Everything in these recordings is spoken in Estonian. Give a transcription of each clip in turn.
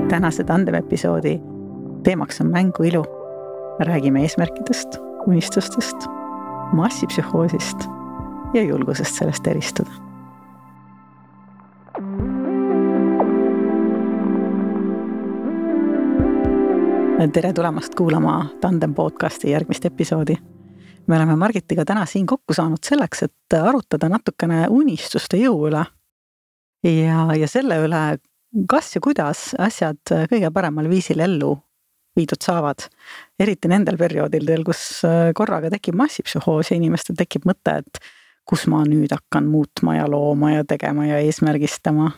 Tänase Tandem-episoodi teemaks on mänguilu. Räägime eesmärkidest, unistustest, massipsühhoosist ja julgusest sellest eristuda. Tere tulemast kuulama Tandem podcasti järgmist episoodi. Me oleme Margitiga täna siin kokku saanud selleks, et arutada natukene unistuste jõu üle ja selle üle, kas ja kuidas asjad kõige paremal viisil ellu viidud saavad. Eriti nendel perioodidel, kus korraga tekib massipsühhoos ja inimestel tekib mõte, et kus ma nüüd hakkan muutma ja looma ja tegema ja eesmärgistama.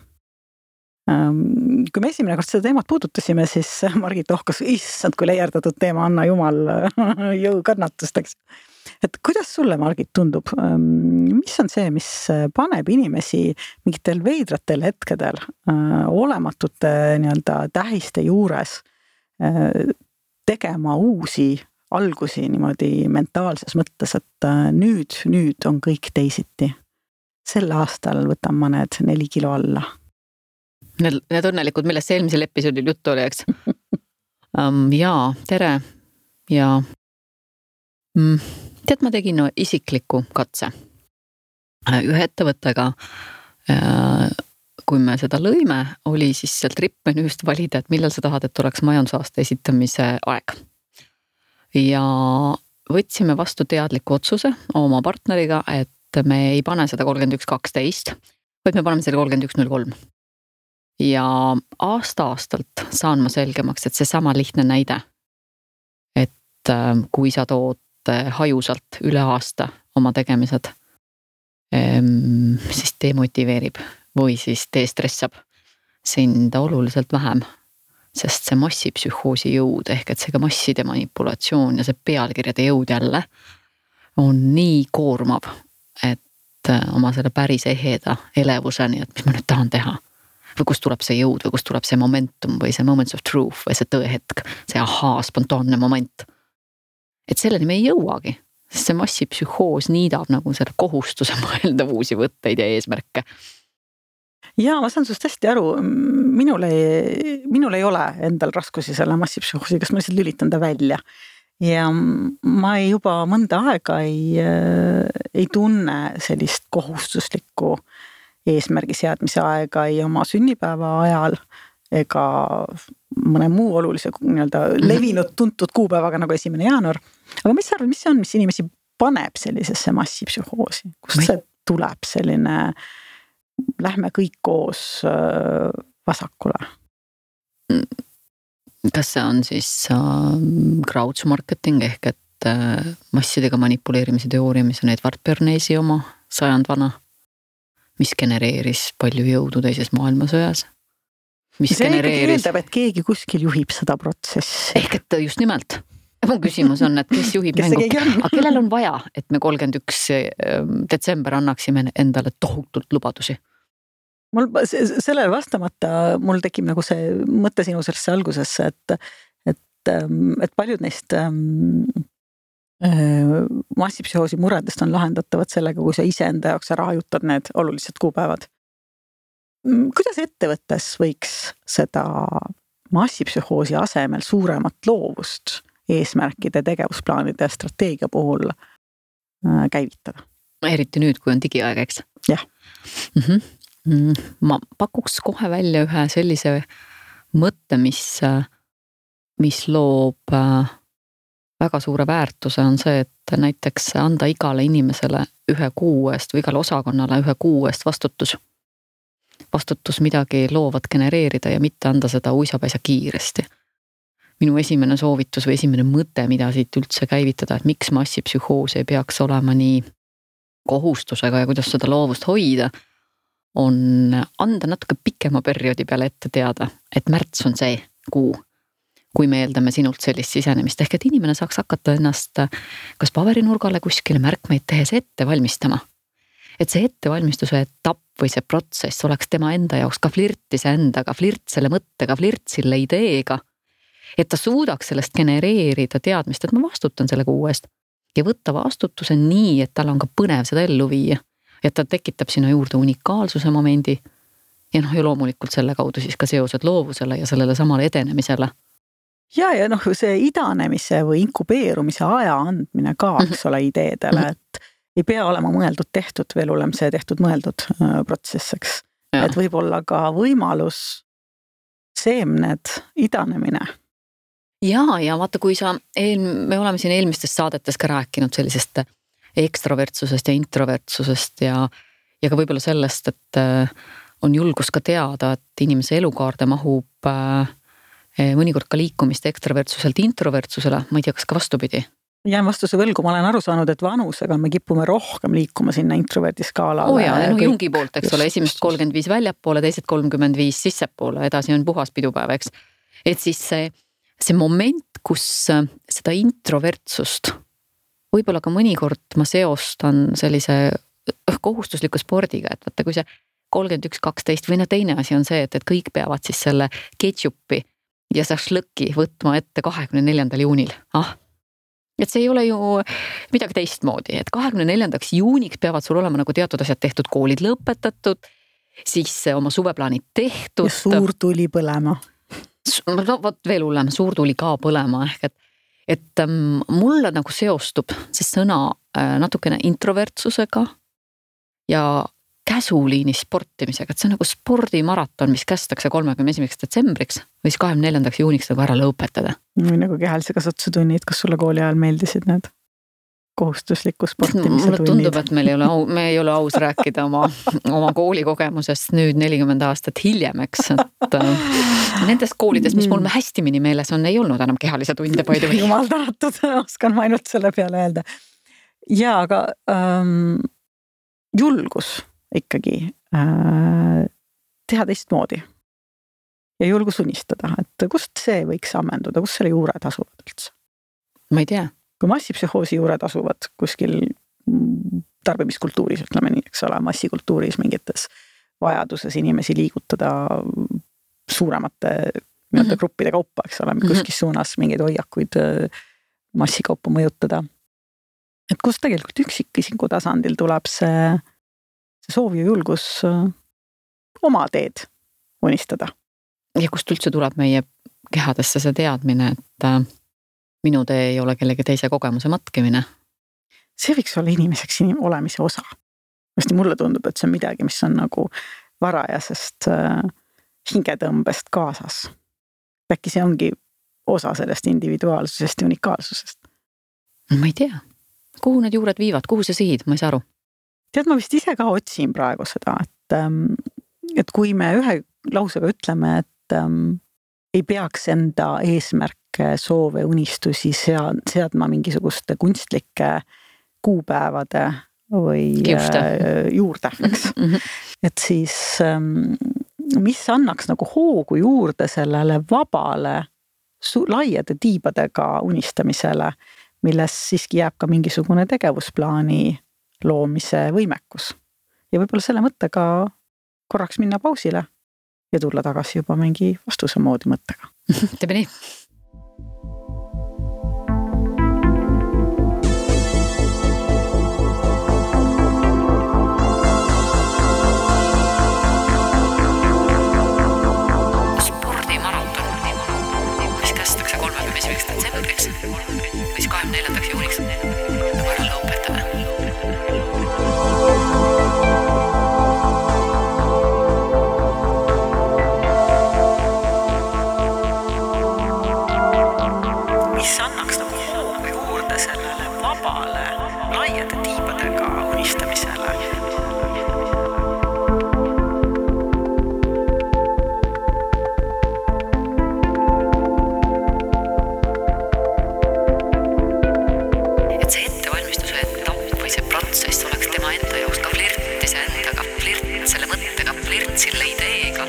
Kui me esimene kord seda teemat puudutasime, siis Margit ohkas, issand, kui leierdatud teema, anna jumal jõu kannatusteks. Et kuidas sulle, Margit, tundub, mis on see, mis paneb inimesi mingitel veidratel hetkedel olematute tähiste juures tegema uusi algusi niimoodi mentaalses mõttes, et nüüd on kõik teisiti. Sel aastal võtan ma need 4 kilo alla. Need õnnelikud, millest eelmisel episoodil juttu oli, eks? Jaa, tere. Ja tead, ma tegin isikliku katse. Ühe ettevõttega, kui me seda lõime, oli siis sealt rippmenüüst valida, et millal sa tahad, et oleks majandusaasta esitamise aeg. Ja võtsime vastu teadliku otsuse oma partneriga, et me ei pane seda 31.12, vaid me paneme selle 31.03. Ja aastalt saan ma selgemaks, et see sama lihtne näide, et kui sa tood hajusalt üle aasta oma tegemised, siis demotiveerib või siis destressab sind oluliselt vähem, sest see massipsühhoosi jõud ehk et see ka masside manipulatsioon ja see pealkirjade jõud jälle on nii koormav, et oma selle päris eheda elevuseni, et mis ma nüüd tahan teha. Või kust tuleb see jõud või kust tuleb see momentum või see moments of truth või see tõehetk, see spontaanne moment. Et selleni me ei jõuagi, sest see massipsühhoos niidab nagu selle kohustuse mõelda uusi võtteid ja eesmärke. Jaa, ma saan sust hästi aru. Minul ei ole endal raskusi selle massipsühhoosi, kas ma lihtsalt lülitan ta välja. Ja ma juba mõnda aega ei tunne sellist kohustuslikku eesmärgi seadmise aega ei oma sünnipäeva ajal ega mõne muu olulise levinud tuntud kuupäevaga nagu 1. jaanuar. Aga mis sa arvad, mis see on, mis inimesi paneb sellisesse massipsühhoosi? Kust see tuleb selline, lähme kõik koos vasakule? Kas see on siis crowd marketing ehk et massidega manipuleerimise teooria, mis on Edward Bernays oma 100 vana? Mis genereeris palju jõudu teises maailmasõjas. See eeldab, et keegi kuskil juhib seda protsessi. Ehk et just nimelt. Mu küsimus on, et kes juhib mängu. Aga kellel on vaja, et me 31. detsember annaksime endale tohutult lubadusi? Sellele vastamata mul tekib nagu see mõte sinu sellesse algusesse, et paljud neist massipsühhoosi muredest on lahendatavad sellega, kui sa iseenda jaoks ära hajutad need olulised kuupäevad. Kuidas ettevõttes võiks seda massipsühhoosi asemel suuremat loovust eesmärkide, tegevusplaanide ja strateegia puhul käivitada? Eriti nüüd, kui on digiaeg, eks? Jah. Ma pakuks kohe välja ühe sellise mõtte, mis loob väga suure väärtuse on see, et näiteks anda igale inimesele 1 kuu eest või igale osakonnale 1 kuu eest vastutus. Vastutus midagi loovat genereerida ja mitte anda seda uisapäisa kiiresti. Minu esimene soovitus või esimene mõte, mida siit üldse käivitada, et miks massipsühhoos ei peaks olema nii kohustusega ja kuidas seda loovust hoida, on anda natuke pikema perioodi peale ette teada, et märts on see kuu, kui me eeldame sinult sellist sisenemist, ehk et inimene saaks hakata ennast kas paberinurgale kuskile märkmeid tehes ette valmistama. Et see ettevalmistuse etapp või see protsess oleks tema enda jaoks ka flirtis endaga, flirt selle mõttega, flirt selle ideega, et ta suudaks sellest genereerida teadmist, et ma vastutan selle kuu eest ja võtta vastutuse nii, et tal on ka põnev seda ellu viia, et ta tekitab sinna juurde unikaalsuse momendi ja ja loomulikult selle kaudu siis ka seosed loovusele ja sellele samale edenemisele. Ja see idanemise või inkubeerumise aja andmine ka, eks ole, ideedele, et ei pea olema mõeldud tehtud või elulem see tehtud mõeldud protsesseks. Et võib olla ka võimalus seemned idanemine. Ja vaata, kui me oleme siin eelmistes saadetes ka rääkinud sellisest ekstravertsusest ja introvertsusest ja ka võib-olla sellest, et on julgus ka teada, et inimese elukaarde mahub mõnikord ka liikumist ekstravertsuselt introvertsusele, ma ei tea, kas ka vastupidi. Jään vastuse võlgu, ma olen aru saanud, et vanusega me kipume rohkem liikuma sinna introverdi skaalale. Jungi poolt, eks ole, esimest 35 väljapoole, teised 35 sissepoole, edasi on puhas pidupäev, eks. Et siis see moment, kus seda introvertsust võib-olla ka mõnikord ma seostan sellise kohustusliku spordiga, et vaata, kui see 31-12 või teine asi on see, et kõik peavad siis selle ketšupi ja šašlõki võtma ette 24. juunil. Et see ei ole ju midagi teistmoodi, et 24. juuniks peavad sul olema nagu teatud asjad tehtud, koolid lõpetatud, siis oma suveplaanid tehtud. Ja suur tuli põlema. Vot veel hullem, suur tuli ka põlema, ehk et mulle nagu seostub see sõna natukene introvertsusega ja käsuliini sportimisega, et see on nagu spordimaraton, mis kästakse 31. detsembriks või siis 24. juuniks nagu ära lõpetada. Või nagu kehalise kasvatuse tunnid, kas sulle kooli ajal meeldisid need kohustusliku sportimise tunnid? Mulle tundub, et me ei ole aus rääkida oma koolikogemusest nüüd 40 aastat hiljem, eks, et nendest koolidest, mis mul hästi mini meeles on, ei olnud enam kehalise tunde palju. Jumal tänatud, oskan ma ainult selle peale öelda. Ja, aga julgus ikkagi teha teistmoodi ja julgus unistada, et kust see võiks ammenduda, kust selle juured asuvad üldse? Ma ei tea. Kui massipsühhoosi juured asuvad kuskil tarbimiskultuuris, ütleme nii, eks ole, massikultuuris mingites vajaduses inimesi liigutada suuremate gruppide kaupa, eks ole, kuskis suunas mingeid hoiakuid massikaupa mõjutada. Et kus tegelikult üksikisiku tasandil tuleb see soov ja julgus oma teed unistada. Ja kust üldse tuleb meie kehadesse see teadmine, et minu tee ei ole kellegi teise kogemuse matkimine? See võiks olla inimeseks olemise osa. Hästi mulle tundub, et see on midagi, mis on nagu varajasest hingetõmbest kaasas. Äkki see ongi osa sellest individuaalsusest ja unikaalsusest? Ma ei tea. Kuhu need juured viivad? Kuhu see sihid? Ma ei saa aru. Tead, ma vist ise ka otsin praegu seda, et kui me ühe lausega ütleme, et ei peaks enda eesmärke, soove, unistusi seadma mingisuguste kunstlike kuupäevade või juurde, eks. Et siis mis annaks nagu hoogu juurde sellele vabale laiade tiibadega unistamisele, milles siiski jääb ka mingisugune tegevusplaani loomise võimekus. Ja võib-olla selle mõttega korraks minna pausile ja tulla tagasi juba mingi vastuse moodi mõttega. Teeme nii. Spordimaraton, mis kästakse 31. detsembriks või 24. juuniks nagu ära lõpetada. Mis annaks nagu hoogu juurde sellele vabale laiade tiibadega unistamisele. Et see ettevalmistuse etapp või see protsess oleks tema enda jaoks ka flirtis endaga, flirt selle mõttega, flirt selle ideega.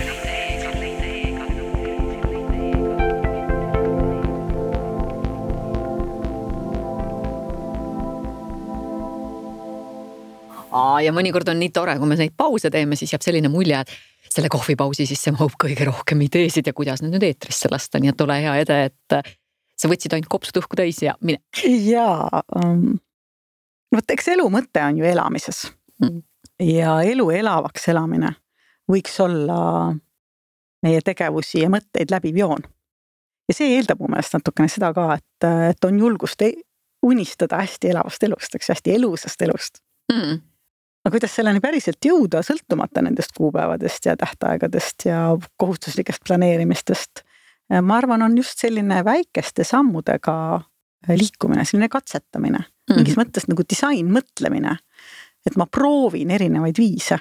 Ja mõnikord on nii tore, kui me neid pause teeme, siis jääb selline mulje, et selle kohvipausi sisse mahub kõige rohkem ideesid ja kuidas need nüüd eetrisse lasta, nii et ole hea Ede, et sa võtsid ainult kopsud õhku täis ja mine. Jaa, eks elu mõte on ju elamises ja elu elavaks elamine võiks olla meie tegevusi ja mõtteid läbiv joon. Ja see eeldab mu meelest natukene seda ka, et on julgust unistada hästi elavast elust, eks hästi elusast elust. Aga kuidas selleni päriselt jõuda, sõltumata nendest kuupäevadest ja tähtaegadest ja kohustuslikest planeerimistest? Ma arvan, on just selline väikeste sammudega liikumine, selline katsetamine. Mingis mõttes nagu disain mõtlemine, et ma proovin erinevaid viise.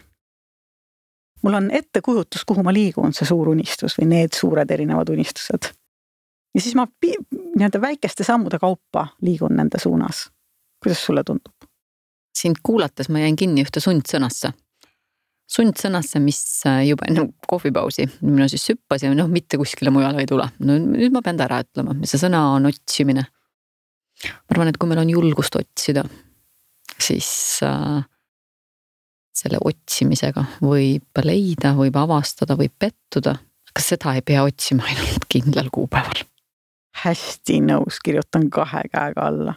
Mul on ettekujutus, kuhu ma liigun, see suur unistus või need suured erinevad unistused. Ja siis ma väikeste sammude kaupa liigun nende suunas. Kuidas sulle tundub? Sind kuulates ma jäin kinni ühte sundsõnasse. Sundsõnasse, mis juba enne kohvipausi mina siis süppas ja mitte kuskile mujale ei tule. No nüüd ma pean ta ära ütlema. See sõna on otsimine. Ma arvan, et kui meil on julgust otsida, siis selle otsimisega võib leida, võib avastada, võib pettuda. Aga seda ei pea otsima ainult kindlal kuupäeval. Hästi nõus, kirjutan 2 käega alla.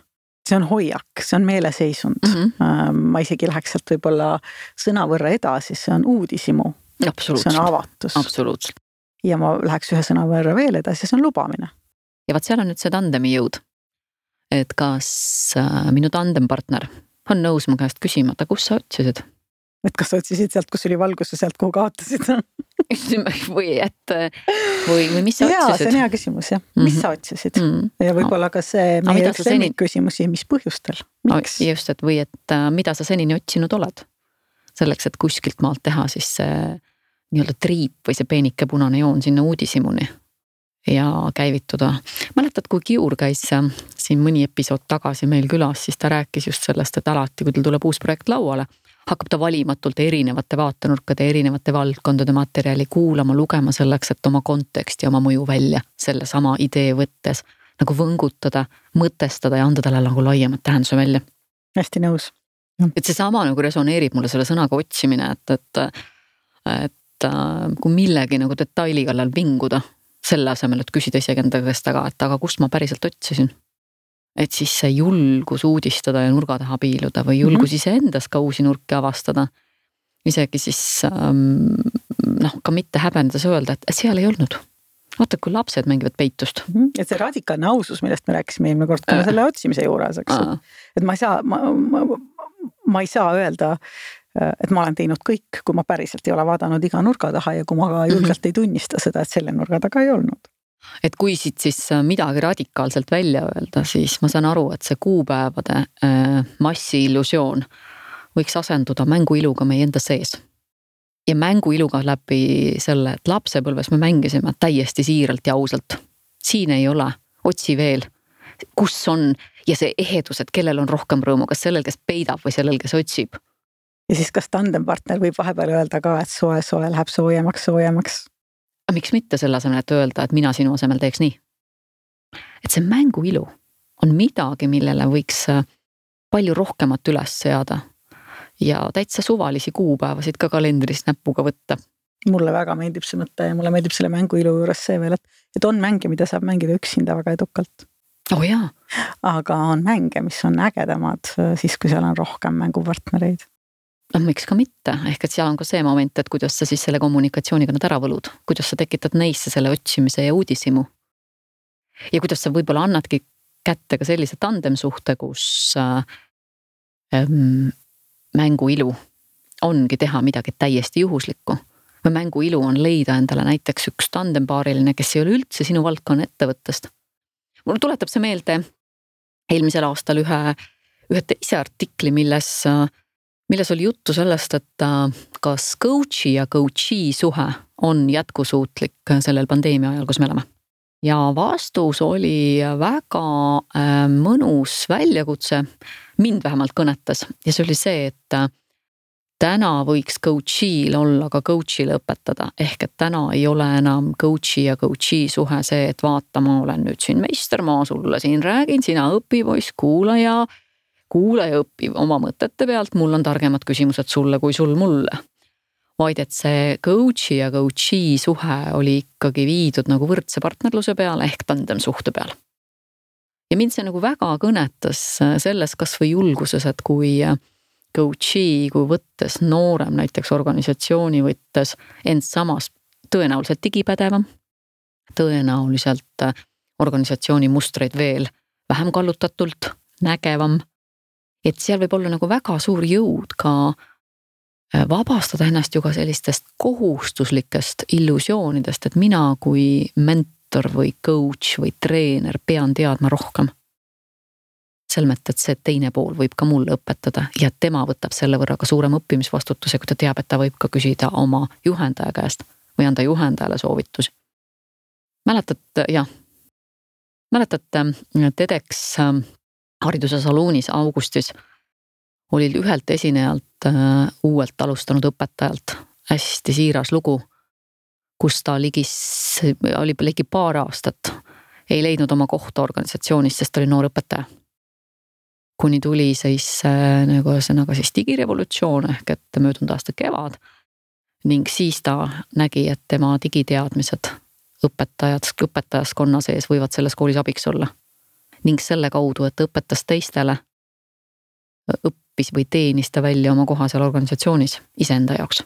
See on hoiak, see on meeleseisund. Ma isegi läheks sealt võib-olla sõna võrra edasi, see on uudisimu. See on avatus. Absoluutselt. Ja ma läheks ühe sõna võrra veel edasi, see on lubamine. Ja vaat seal on nüüd see tandemi jõud. Et kas minu tandempartner on nõus mu käest küsima, et kus sa otsisid? Et kas sa otsisid sealt, kus oli valgus ja sealt, kuhu kaotasid? või mis sa otsisid? Jaa, see on hea küsimus, jah. Mis sa otsisid? Ja võib-olla ka see meie üks küsimusi, mis põhjustel? Miks? Just, et või et mida sa senini otsinud oled? Selleks, et kuskilt maalt teha siis see nii-öelda triip või see peenike punane joon sinna uudisimuni ja käivituda. Mäletad, kui Kiur käis siin mõni episood tagasi meil külas, siis ta rääkis just sellest, et alati, kui tal tuleb uus projekt lauale, hakkab ta valimatult erinevate vaatenurkade, erinevate valdkondade materjali kuulama, lugema selleks, et oma konteksti, oma mõju välja selle sama idee võttes nagu võngutada, mõtestada ja anda talle nagu laiemat tähenduse välja. Hästi nõus. Et see sama nagu resoneerib mulle selle sõnaga otsimine, et kui millegi nagu detaili kallal vinguda, selle asemel, et küsida isegi enda käest aga kust ma päriselt otsisin. Et siis see julgus uudistada ja nurga taha piiluda või julgus ise endas ka uusi nurki avastada. Isegi siis ka mitte häbenedes öelda, et seal ei olnud. Vaata, kui lapsed mängivad peitust. Et see radikaalne ausus, millest me rääkisime eelmine kord ka selle otsimise juures, eks. Et ma ei saa öelda, et ma olen teinud kõik, kui ma päriselt ei ole vaadanud iga nurga taha ja kui ma ka julgelt ei tunnista seda, et selle nurga taga ei olnud. Et kui siit siis midagi radikaalselt välja öelda, siis ma saan aru, et see kuupäevade massi illusioon võiks asenduda mänguiluga meie enda sees. Ja mänguiluga läbi selle, et lapsepõlves me mängisime täiesti siiralt ja ausalt. Siin ei ole, otsi veel, kus on ja see ehedus, et kellel on rohkem rõõmu, kas sellel, kes peidab või sellel, kes otsib. Ja siis kas tandempartner võib vahepeal öelda ka, et soe läheb soojemaks. Aga miks mitte selle asemel, et öelda, et mina sinu asemel teeks nii? Et see mänguilu on midagi, millele võiks palju rohkemat üles seada ja täitsa suvalisi kuupäevasid ka kalendris näpuga võtta. Mulle väga meeldib see mõte ja mulle meeldib selle mänguilu juures see veel, et on mänge, mida saab mängida üksinda väga edukalt. Oh jaa. Aga on mänge, mis on ägedamad siis, kui seal on rohkem mängupartnereid. Miks ka mitte, ehk et seal on ka see moment, et kuidas sa siis selle kommunikatsiooniga nad ära võlud, kuidas sa tekitad neisse selle otsimise ja uudisimu. Ja kuidas sa võib-olla annadki kätte ka sellise tandemsuhte, kus mänguilu ongi teha midagi täiesti juhuslikku. Või mänguilu on leida endale näiteks üks tandembaariline, kes ei ole üldse sinu valdkonna ettevõttest. Mul tuletab see meelde eelmisel aastal ühe teise artikli, milles oli juttu sellest, et kas coachi ja coachee suhe on jätkusuutlik sellel pandeemia ajal, kus me oleme. Ja vastus oli väga mõnus väljakutse, mind vähemalt kõnetas. Ja see oli see, et täna võiks coachil olla ka coachile õpetada. Ehk et täna ei ole enam coachi ja coachee suhe see, et vaata, ma olen nüüd siin meister, ma sulle siin räägin, sina õpipoiss, kuula ja õpi oma mõtete pealt, mul on targemad küsimused sulle kui sul mulle. Vaid et see coachi ja coachee suhe oli ikkagi viidud nagu võrdse partnerluse peale ehk tandemsuhte peale. Ja mind see nagu väga kõnetas selles kas või julguses, et kui coach'i kui võttes noorem näiteks organisatsiooni võttes end samas tõenäoliselt digipädevam, tõenäoliselt organisatsiooni mustreid veel vähem kallutatult nägevam. Et seal võib olla nagu väga suur jõud ka vabastada ennast ju ka sellistest kohustuslikest illusioonidest, et mina kui mentor või coach või treener pean teadma rohkem. Selmet, et see teine pool võib ka mulle õpetada ja tema võtab selle võrra ka suurem õppimisvastutuse, kui ta teab, et ta võib ka küsida oma juhendaja käest või anda juhendajale soovitusi. Mäletate TEDx hariduse saluunis augustis oli ühelt esinejalt uuelt alustanud õpetajalt hästi siiras lugu, kus ta oli ligi paar aastat, ei leidnud oma kohta organisatsioonis, sest oli noor õpetaja. Kuni tuli siis digirevolutsioon ehk et möödunud aasta kevad ning siis ta nägi, et tema digiteadmised õpetajaskonna sees võivad selles koolis abiks olla. Ning selle kaudu, et õpetas teistele, õppis või teenis ta välja oma koha seal organisatsioonis iseenda jaoks.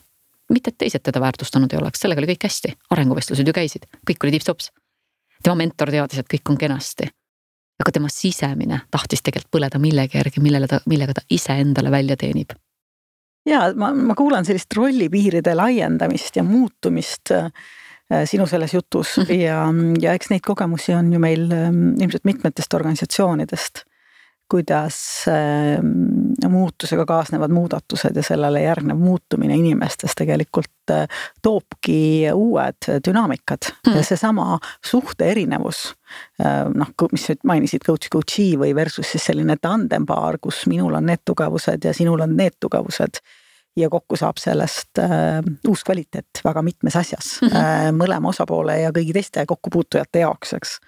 Mitte et teised teda väärtustanud ei oleks, sellega oli kõik hästi, arenguvestlused ju käisid, kõik oli tips-tops. Tema mentor teadis, et kõik on kenasti. Aga tema sisemine tahtis tegelikult põleda millegi järgi, millega ta ise endale välja teenib. Ja ma kuulan sellist rollipiiride laiendamist ja muutumist sinu selles jutus ja eks neid kogemusi on ju meil ilmselt mitmetest organisatsioonidest, kuidas muutusega kaasnevad muudatused ja sellele järgnev muutumine inimestes tegelikult toobki uued dünaamikad ja seesama suhte erinevus, mis mainisid coach'i või versus siis selline tandempaar, kus minul on need tugevused ja sinul on need tugevused ja kokku saab sellest uus kvaliteet väga mitmes asjas mõlema osapoole ja kõigi teiste kokkupuutujate jaoks, eks.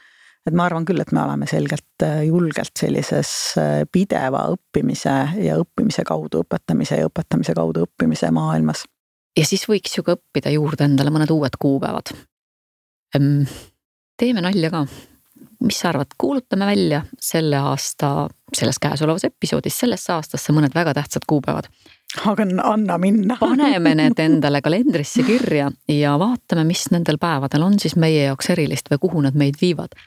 Et ma arvan küll, et me oleme selgelt julgelt sellises pideva õppimise ja õppimise kaudu õpetamise ja õpetamise kaudu õppimise maailmas. Ja siis võiks ju ka õppida juurde endale mõned uued kuupäevad. Teeme nalja ka. Mis sa arvad, kuulutame välja selle aasta, selles käesolevas episoodis, sellesse aastasse mõned väga tähtsad kuupäevad. Aga anna minna. Paneme need endale kalendrisse kirja ja vaatame, mis nendel päevadel on siis meie jaoks erilist või kuhu nad meid viivad.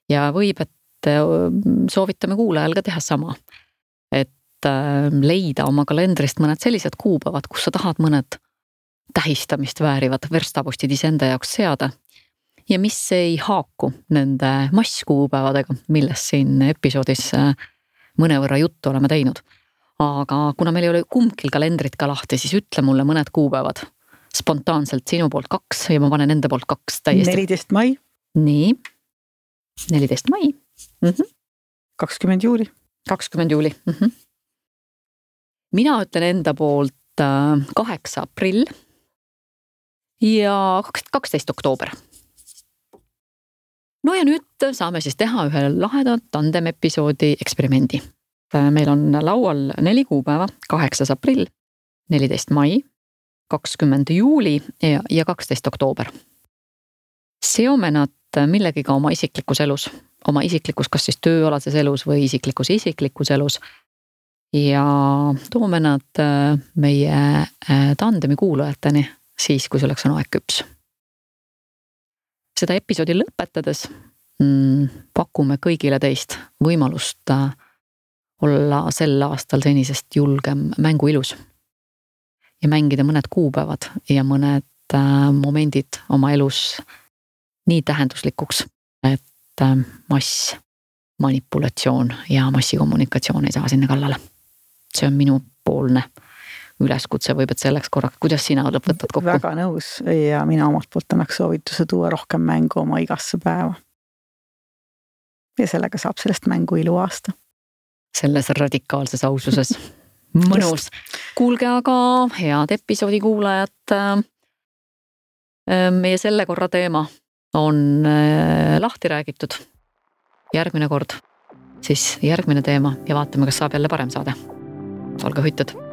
Ja võib, et soovitame kuulajal ka teha sama. Et leida oma kalendrist mõned sellised kuupäevad, kus sa tahad mõned tähistamist väärivad verstapostid iseenda jaoks seada. Ja mis ei haaku nende masskuupäevadega, millest siin episoodis mõnevõrra juttu oleme teinud. Aga kuna meil ei ole kumbkil kalendrit ka lahti, siis ütle mulle mõned kuupäevad. Spontaanselt sinu poolt 2 ja ma panen enda poolt 2 täiesti. 14 mai. Nii. 14 mai. 20 juuli. 20 juuli. Mina ütlen enda poolt 8 aprill ja 12 oktoober. No ja nüüd saame siis teha ühe laheda tandem episoodi eksperimendi. Meil on laual 4 kuupäeva, 8 aprill, 14 mai, 20 juuli ja 12 oktoober. Seome nad millegiga oma isiklikus elus, oma isiklikus kas siis tööalases elus või isiklikus elus ja toome nad meie tandemi kuulajateni siis, kui selleks on aeg küps. Seda episoodi lõpetades pakume kõigile teist võimalust olla sel aastal senisest julgem mänguilus ja mängida mõned kuupäevad ja mõned momendid oma elus nii tähenduslikuks, et mass, manipulatsioon ja massikommunikatsioon ei saa sinna kallale. See on minu poolne üleskutse võib, et selleks korraks, kuidas sina võtad kokku? Väga nõus ja mina omalt poolt annaks soovituse tuua rohkem mängu oma igasse päeva. Ja sellega saab sellest mängu ilu aasta. Selles radikaalses aususes. Mõnus. Kuulge aga head episoodi kuulajad. Meie selle korra teema on lahti räägitud. Järgmine kord, siis järgmine teema ja vaatame, kas saab jälle parem saada. Olge hoitud!